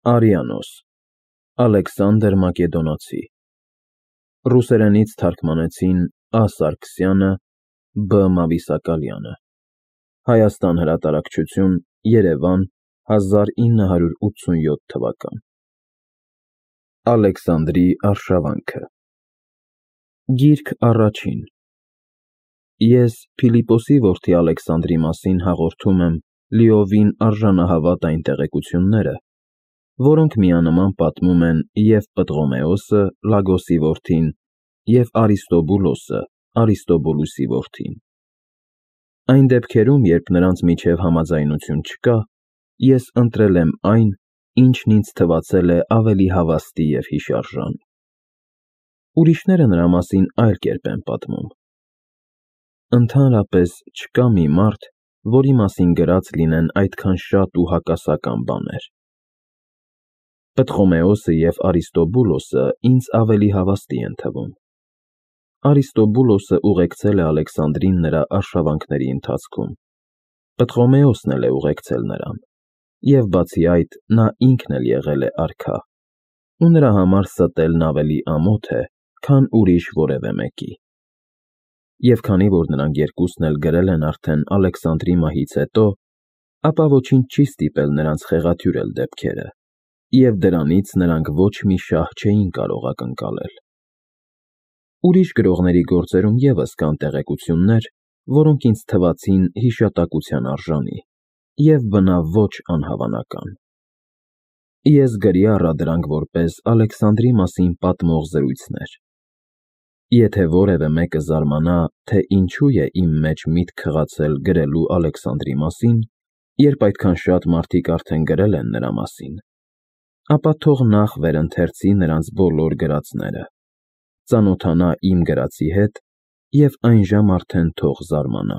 Արիանոս Ալեքսանդր Մակեդոնացի Ռուսերենից թարգմանեցին Ա. Սարգսյանը, Բ. Մավիսակալյանը Հայաստան հրատարակչություն, Երևան, 1987 թվական Ալեքսանդրի արշավանքը Գիրք առաջին Ես Փիլիպոսի որդի Ալեքսանդրի մասին հաղորդում եմ լիովին արժանահավատ այն տեղեկությունները, որոնք միանման պատմում են և Պտղոմեոսը, Լագոսի որդին, և Արիստոբուլոսը, Արիստոբուլոսի որդին։ Այն դեպքերում, երբ նրանց միջև համաձայնություն չկա, ես ընտրել եմ այն, ինչն ինձ թվացել է ավելի հավաստի և հիշարժան։ Ուրիշները նրա մասին այլ կերպ են պատմում։ Ընդհանրապես չկա մի մարդ, որի մասին գրած լինեն այդքան շատ ու հակասական բաներ։ Պտղոմեոսը և Արիստոբուլոսը ինձ ավելի հավաստի են թվում։ Արիստոբուլոսը ուղեկցել է Ալեքսանդրին նրա արշավանքների ընթացքում, Պտղոմեոսն էլ է ուղեկցել նրան, և բացի այդ, նա ինքն էլ եղել է արքա, ու նրա համար ստելն ավելի ամոթ է, քան ուրիշ որևէ մեկի։ Եվ քանի որ նրանք երկուսն էլ գրել են արդեն Ալեքսանդրի մահից հետո, ապա ոչինչ չի ստիպել նրանց խեղաթյուրել դեպքերը, և դրանից նրանք ոչ մի շահ չէին կարող ակնկալել։ Ուրիշ գրողների գործերում ևս կան տեղեկություններ, որոնք ինձ թվացին հիշատակության արժանի և բնավ ոչ անհավանական։ Ես գրի առա դրանք որպես Ալեքսանդրի մասին պատմող զրույցներ։ Եթե որևէ մեկը զարմանա, թե ինչու է իմ մեջ միտք խղացել գրելու Ալեքսանդրի մասին, երբ այդքան շատ մարդիկ արդեն գրել են նրա մասին, ապա թող նախ վերընթերցի նրանց բոլոր գրածները, ծանոթանա իմ գրածի հետ և այն ժամ արդեն թող զարմանա։